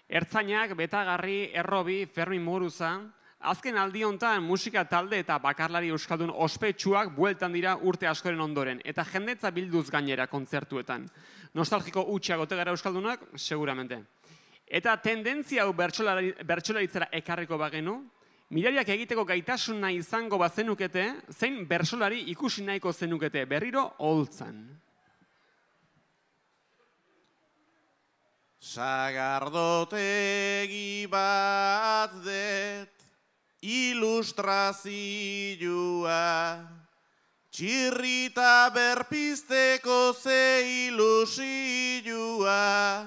Ertzainak, Betagarri, Errobi, Fermin Muguruza, azken aldi honetan musika talde eta bakarlari euskaldun ospetsuak bueltan dira urte askoren ondoren, eta jendetza bilduz gainera kontzertuetan. Nostalgiko hutsak ote gara euskaldunak? Seguramente. Eta tendentzia hau bertsolaritzara ekarriko bagenu, mirariak egiteko gaitasuna izango bazenukete, zein bertsolari ikusi nahiko zenukete, berriro oholtzan. Sagardotegi bat det, ilustrazioa, txirrita berpizteko ze ilusioa,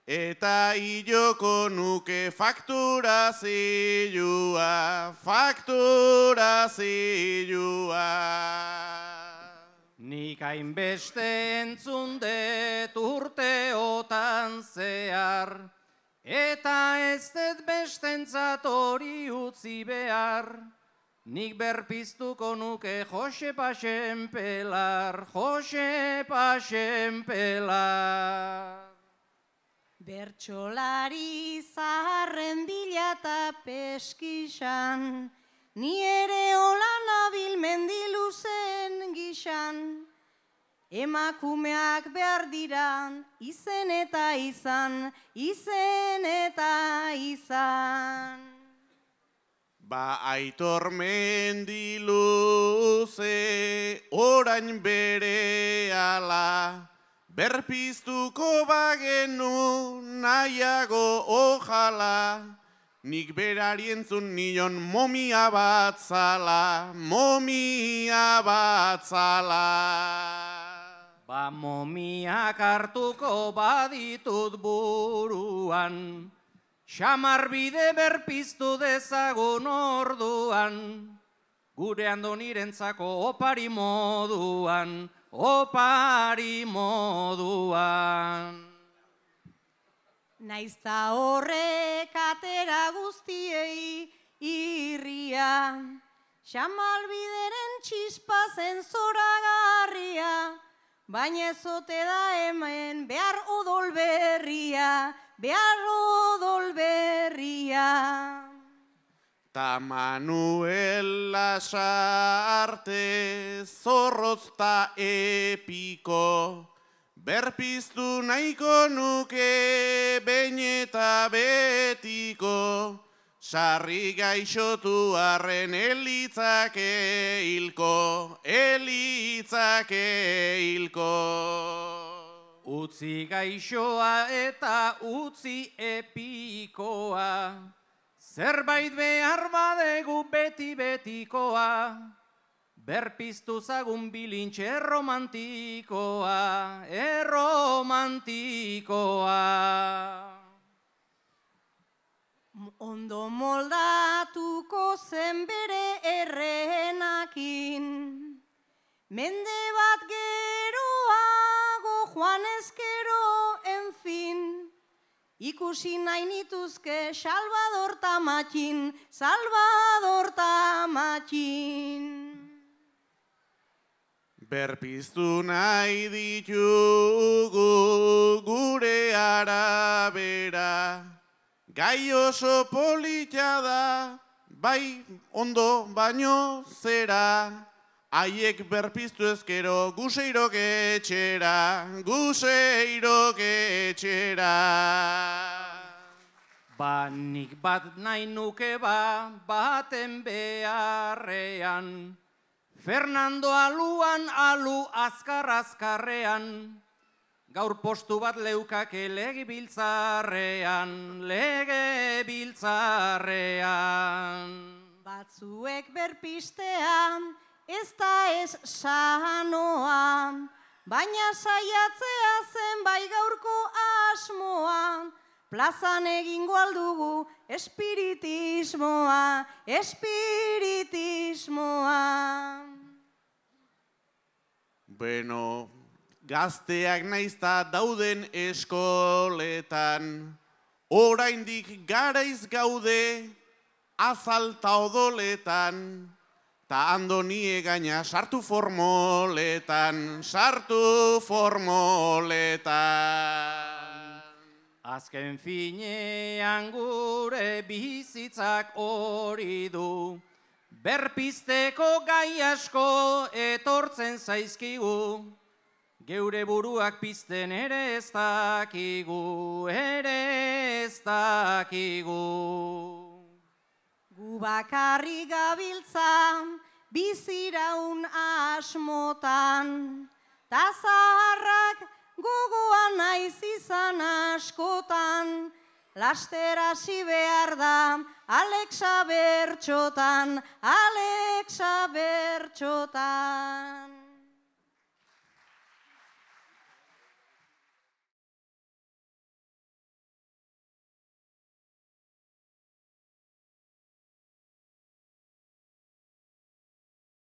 eta iloko nuke fakturazioa. Nik hainbeste entzun dut urteotan zehar, eta ez dut bestentzat hori utzi behar. Nik berpiztuko nuke Jose Paxen Pelar. Bertsolari zaharren bila eta peskisan, ni ere hola nabil mendiluzen gixan. Emakumeak behar diran, izen eta izan. Ba Aitor Mendiluze orain berehala, berpiztuko bagenu nahiago ojala. Nik berari entzun nion momia bat zala. Ba momiak hartuko baditut buruan, xamarbide berpiztu dezagun orduan, gure andonirentzako opari moduan. Naizta horrek atera guztiei irria, xamalbideren txispa zen zoragarria, baina ezote da hemen behar odol berria. Ta Manuel Lasarte zorrozta epiko, berpiztu nahiko nuke behin eta betiko, sarri gaixotu arren elitzake hilko. Utzi gaixoa eta utzi epikoa, zerbait behar badegu beti-betikoa, berpiztu zagun bilintxe erromantikoa. Ondo moldatuko zen bere errenakin, mende bat geroago joan ezkero, enfin, ikusi nahi nituzke Salvador Tamatxin. Berpiztu nahi ditugu gure arabera, gai oso polita da, bai ondo baino zera. Haiek berpiztu ezkero guseirok etxera. Ba nik bat nahi nuke baten beharrean, Fernando aluan alu azkarrean, gaur postu bat leukake legebiltzarrean. Batzuek berpistean, ez da ez sanoa, baina saiatzea zen bai gaurko asmoa, plazan egingo aldugu espiritismoa. Bueno, gazteak naizta dauden eskoletan, oraindik garaiz gaude azalta odoletan, ta Andoni egaina sartu formoletan. Azken finean gure bizitzak hori du, berpizteko gai asko etortzen zaizkigu, geure buruak pizten ere ez dakigu, Gu bakarri gabiltza biziraun asmotan, ta zaharrak gogoan naiz izan askotan, laster hasi behar da Alexa bertxotan, Alexa bertxotan.